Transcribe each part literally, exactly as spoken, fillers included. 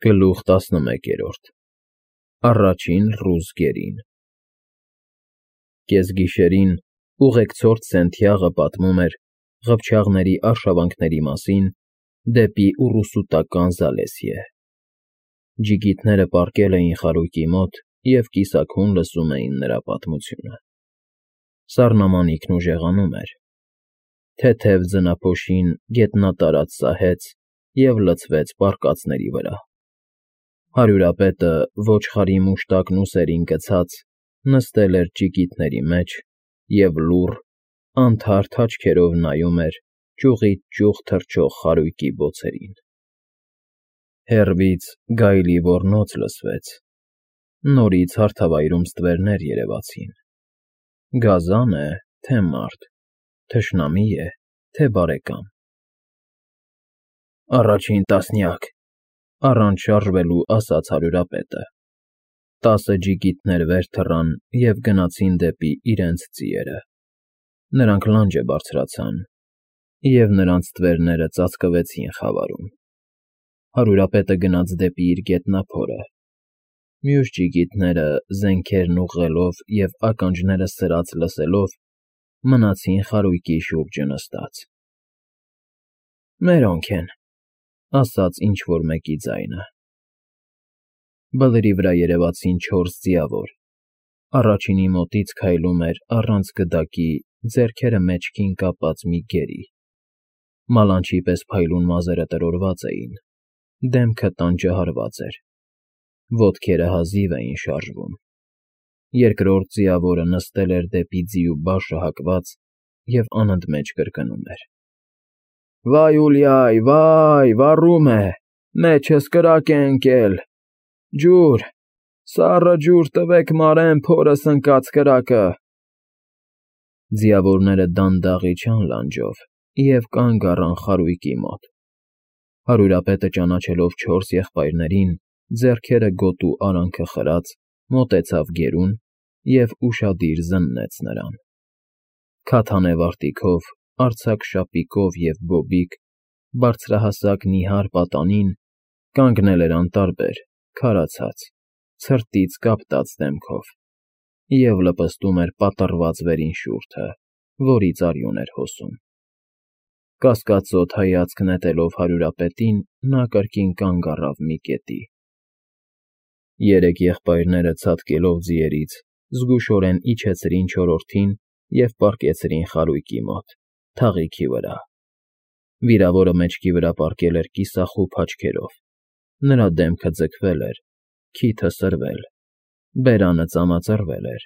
Գլուխ տասնմեկերորդ Առաջին ռուս գերին Կեսգիշերին ուղեկցորդ Սենթիաղը պատմում էր ղփչաղների արշավանքների մասին դեպի ուռուսուտական Զալեսիե։ Ջիգիտները պառկել էին խարույկի մոտ և կիսաքուն լսում էին նրա պատմությունը։ Սառնամանիքն ուժեղանում էր, թեթև ձնափոշին գետնատարած սահեց և լցվեց պառկածների վրա։ Հարյուրապետը, ոչխարի մուշտակն ուսերին գցած, նստել էր ջիգիտների մեջ և լուռ, անթարթ աչքերով նայում էր ճյուղից ճյուղ թռչող խարույկի բոցերին։ Հեռվից գայլի ոռնոց լսվեց, նորից հարթավայրում ստվերներ երևացին։ Գազա՞ն է, թե մարդ, թշնամի՞ է, թե բարեկամ։ Առաջին տասնյակ, առանց շարժվելու ասաց հարյուրապետը։ Տասը ջիգիտներ վեր թռան և գնացին դեպի իրենց ձիերը։ Նրանք լանջը բարձրացան, և նրանց ստվերները ծածկվեցին խավարում։ Հարյուրապետը գնաց դեպի իր գետնափորը։ Մյուս ջիգիտները, զենքերն ուղղելով և ականջները սրած լսելով, մնացին խարույկի շուրջը նստած։ «Մերոնք են»,֊ ասաց ինչ֊որ մեկի ձայնը։ Բլրի վրա երևացին չորս ձիավոր։ Առաջինի մոտից քայլում էր առանց գդակի, ձեռքերը մեջքին կապած մի գերի։ Մալանչի պես փայլուն մազերը տրորված էին, դեմքը տանջահարված էր, ոտքերը հազիվ էին շարժվում։ Երկրորդ ձիավորը նստել էր դեպի ձիու բաշը հակված և անընդմեջ կրկնում էր. «Վայ, Ուլյայ, վայ, վառում է, մեջս կրակ է ընկել, ջուր, սառը ջուր տվեք մարեմ փորս ընկած կրակը»։ Ձիավորները դանդաղ իջան լանջով և կանգ առան խարույկի մոտ։ Հարյուրապետը, ճանաչելով չորս եղբայրներին, ձեռքերը գոտու արանքը խրած, մոտեցավ գերուն և ուշադիր զննեց նրան։ Քաթանե վարտիքով, արձակ շապիկով և բոբիկ, բարձրահասակ նիհար պատանին կանգնել էր անտարբեր, քարացած, ցրտից կապտած դեմքով և լպստում էր պատռված վերին շուրթը, որից արյուն էր հոսում։ Կասկածոտ հայացք նետելով հարյուրապետին, նա կրկին կանգ առավ մի կետի։ Երեք եղբայրները ցատկելով ձիերից, զգուշորեն իջեցրին չորրորդին և պառկեցրին խարույկի մոտ, թաղիքի վրա։ Վիրավորը մեջքի վրա պառկել էր կիսախուփ աչքերով, նրա դեմքը ձգվել էր, քիթը սրվել, բերանը ծամածրվել էր,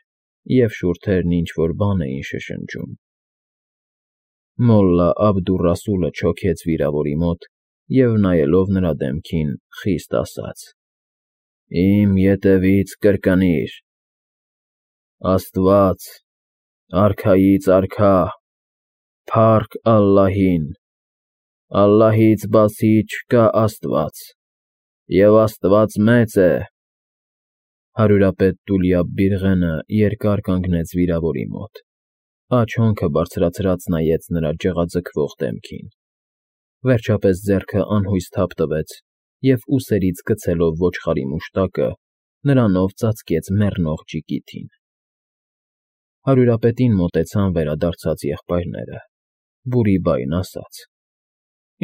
և շուրթերն ինչ֊որ բան էին շշնջում։ Մոլլա Աբդուռասուլը չոքեց վիրավորի մոտ և, նայելով նրա դեմքին, խիստ ասաց. «Իմ ետևից կրկնիր. Աստված, արքայից արքա, փառք Ալլահին, Ալլահից բացի չկա աստված, և աստված մեծ է»։ Հարյուրապետ Տուլյաբ-Բիղենը երկար կանգնեց վիրավորի մոտ, աջ հոնքը բարձրացրած նայեց նրա ջղաձգվող դեմքին, վերջապես ձեռքը անհույս թափ տվեց և ուսերից գցելով ոչխարի մուշտակը, նրանով ծածկեց մեռնող ջիգիթին։ Հարյուրապետին մոտեցան վերադարձած եղբայրները, բուրի֊բայն ասաց.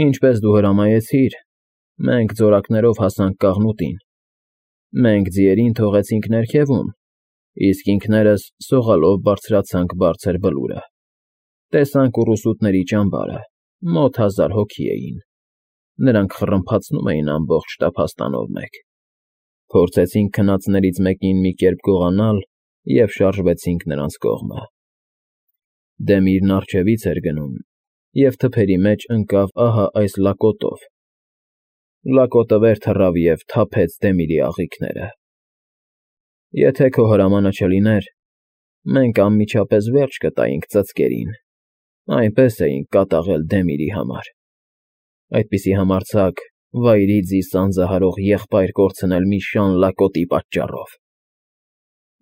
«Ինչպես դու հրամայեցիր, մենք ձորակներով հասանք կաղնուտին։ Մենք ձիերին թողեցինք ներքևում, իսկ ինքներս սողալով բարձրացանք բարձր բլուրը։ Տեսանք ուռուսուտների ճամբարը, մոտ հազար հոգի էին։ Նրանք խռմփացնում էին ամբողջ տափաստանով մեկ։ Փորձեցինք քնածներից մեկին մի կերպ գողանալ և շարժվեցինք նրանց կողմը։ Դեմիրն առջևից էր գնում և թփերի մեջ ընկավ ահա այս լակոտով։ Լակոտը վեր թռավ և թափեց Դեմիրի աղիքները։ Եթե քո հրամանը չլիներ, մենք անմիջապես վերջ կտայինք ծծկերին, այնպես էինք կատաղել Դեմիրի համար։ Այդպիսի համարձակ, վայրի ձի սանձահարող եղբայր կորցնել մի շան լակոտի պատճառով։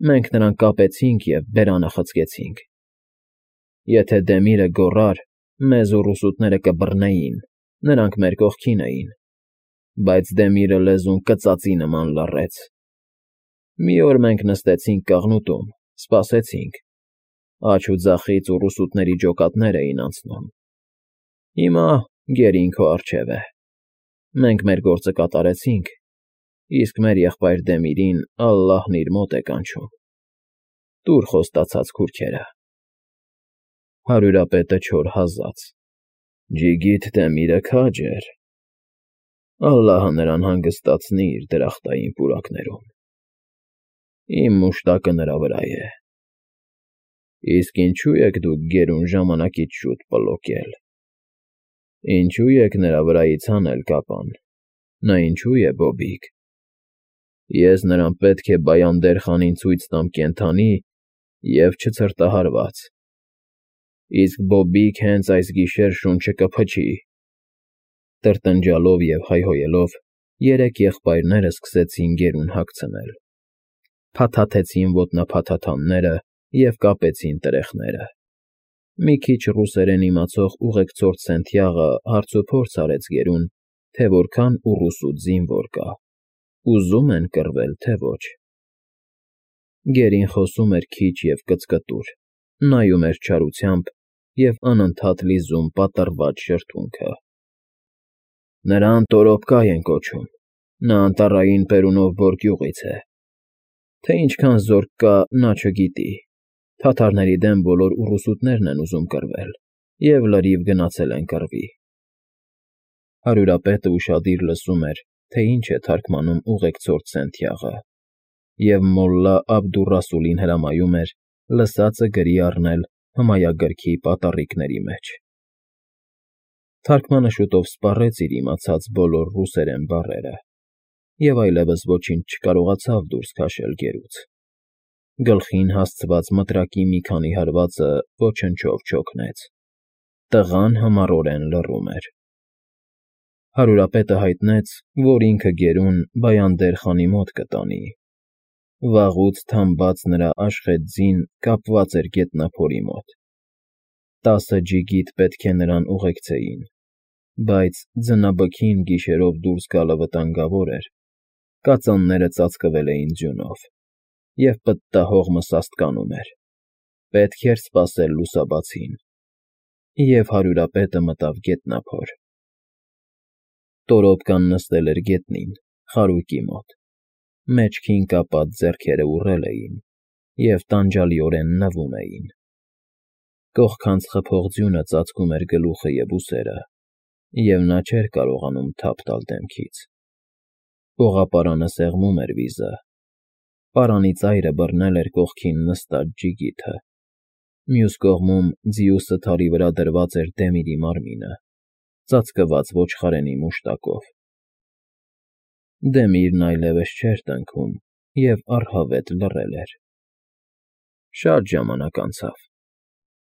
Մենք նրան կապեցինք և բերանը խցկեցինք։ Եթե Դեմիրը գոռար, մեզ ուռուսուտները կբռնեին, նրանք մեր կողքին էին։ բայց Դեմիրը լեզուն կծածի նման լռեց։ Մի օր մենք նստեցինք կաղնուտում, սպասեցինք։ Աջ ու ձախից ուռուսուտների ջոկատներ էին անցնում։ Հիմա գերին քո առջև է։ Մենք մեր գործը կատարեցինք, իսկ մեր եղբայր Դեմիրին ալլահն իր մոտ է կանչում։ Տուր խոստացած քուրքերը։ Հարյուրապետը չոր հազաց։ Ջիգիթ Դեմիրը քաջ էր։ Ալլահը նրան հանգստացնի իր դրախտային պուրակներում։ Իմ մուշտակը նրա վրա է։ Իսկ ինչու եք դուք գերուն ժամանակից շուտ պլոկել։ Ինչու եք նրա վրայից հանել կապան։ Նա ինչու է Բոբիկ։ Ես նրան պետք է Բայանդեր խանին ցույց տամ կենդանի և չցրտահարված։ Իսկ Բոբիկ հենց այս գիշեր շունչը կփչի։ Տրտնջալով և հայհոյելով երեք եղբայրները սկսեցին գերուն հագցնել։ Փաթաթեցին ոտնափաթաթանները և կապեցին տրեխները։ Մի քիչ ռուսերեն իմացող ուղեկցող Սենթիաղը հարցուփորձ արեց գերուն, թե որքան ուռուսուտ զինվոր կա, ուզո՞ւմ են կռվել, թե ոչ։ Գերին խոսում էր քիչ և կծկտուր, նայում էր չարությամբ և անընդհատ լիզում պատռված շրթունքը։ Նրան Տորոպկա են կոչում, նա Անտառային Պերունով Բոր գյուղից է։ Թե ինչքան զորք կա, նա չգիտի։ Թաթարների դեմ բոլոր ուռուսուտներն են ուզում կռվել և լրիվ գնացել են կռվի։ Հարյուրապետը ուշադիր լսում էր, թե ինչ է թարգմանում ուղեկցող Սենթիաղը, և մոլլա Աբդուռասուլին հրամայում էր լսածը գրի առնել հմայագրքի պատառիկների մեջ։ Թարգմանը շուտով սպառեց իր իմացած բոլոր ռուսերեն բառերը և այլևս ոչինչ չկարողացավ դուրս քաշել գերուց։ Գլխին հասցված մտրակի մի քանի հարվածը ոչնչով չօգնեց։ Տղան համառորեն լռում էր։ Հարյուրապետը հայտնեց, որ ինքը գերուն Բայանդեր խանի մոտ կտանի։ Վաղուց թամբած նրա աշխետ ձին կապված էր գետնափորի մոտ։ Տասը ջիգիտ պետք է նրան ուղեկցեին, բայց ձնաբքին գիշերով դուրս գալը վտանգավոր էր, կածանները ծածկվել էին ձյունով, և պտտահողմը սաստկանում էր, պետք էր սպասել լուսաբացին, և հարյուրապետը մտավ գետնափոր։ Տորոպկան նստել էր գետնին, խարույկի մոտ, մեջքին կապած ձեռքերը ուռել էին և տանջալիորեն նվում էին։ Կողքանց խփող ձյունը ծածկում էր գլուխը և ուսերը, և նա չէր կարողանում թափ տալ դեմքից։ Պողապարանը սեղմում էր վիզը։ Պարանի ծայրը բռնել էր կողքին նստած ջիգիթը։ Մյուս կողմում ձիուս թարի վրա դրված էր Դեմիրի մարմինը, ծածկված ոչխարենի մուշտակով։ Դեմիրն այլևս չէր տնքում և առհավետ լռել էր։ Շատ ժամանակ անցավ։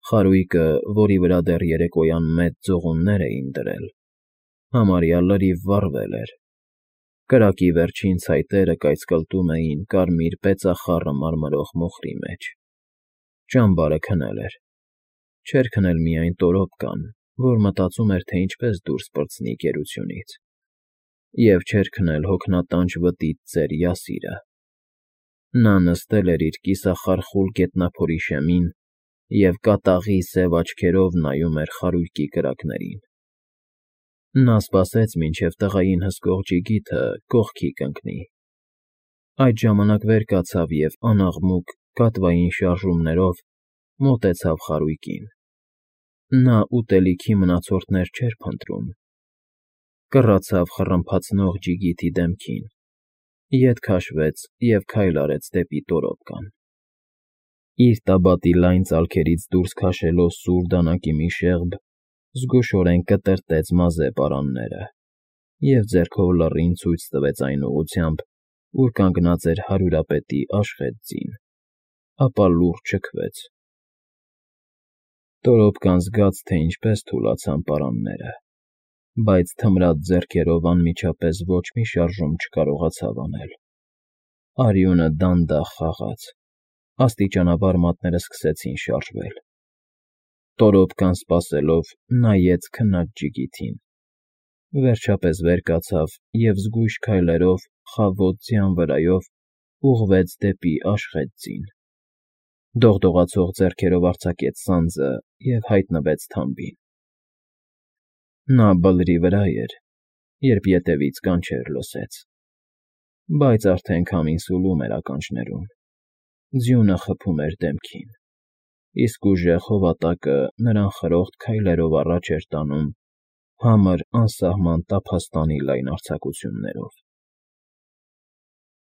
Խարույկը, որի վրա դեռ երեկոյան մեծ ձողուններ էին դրել, համարյա լրիվ վառվել էր։ Կրակի վերջին ցայտերը կայծկլտում էին կարմիր պեցախառը մարմրող մոխրի մեջ։ Ճամբարը քնել էր։ Չէր քնել միայն Տորոպկան, որ մտածում էր, թե ինչպես դուրս պրծնի գերությունից, և չէր քնել հոգնատանջ վտիտ ծեր Յասիրը։ Նա նստել էր իր կիսախարխուլ գետնափորի շեմին և կատաղի սև աչքերով նայում էր խարույկի կրակներին։ Նա սպասեց, մինչև տղային հսկող ջիգիթը կողքի կընկնի։ Այդ ժամանակ վեր կացավ և անաղմուկ, կատվային շարժումներով մոտեցավ խարույկին։ Նա ուտելիքի մնացորդներ չէր փնտրում։ Կռացավ խռմփացնող ջիգիթի դեմքին, ետ քաշվեց և քայլ արեց դեպի Տորոպկան։ Իր տաբատի լայն ծալքերից դուրս քաշելով սուր դանակի մի շեղբ, զգուշորեն կտրտեց մազե պարանները և ձեռքով լռին ցույց տվեց այն ուղղությամբ, ուր կանգնած էր հարյուրապետի աշխետ ձին, ապա լուռ չքվեց։ Տորոպկան զգաց, թե ինչպես թուլացան պարանները, բայց թմրած ձեռքերով անմիջապես ոչ մի շարժում չկարողացավ անել։ Արյունը դանդաղ խաղաց, աստիճանաբար մատները սկսեցին շարժվել։ Տորոպկան, սպասելով, նայեց քնած ջիգիթին։ Վերջապես վեր կացավ և զգույշ քայլերով խավոտ ձյան վրայով ուղղվեց դեպի Աշխետ ձին, դողդողացող ձեռքերով արձակեց սանձը և հայտնվեց թամբին։ Նա բլրի վրա էր, երբ ետևից կանչեր լսեց, բայց արդեն քամին սուլում էր ականջներում, ձյունը խփում էր դեմքին, իսկ ուժեղ հովատակը նրան խրոխտ քայլերով առաջ էր տանում համր անսահման տափաստանի լայն արձակություններով։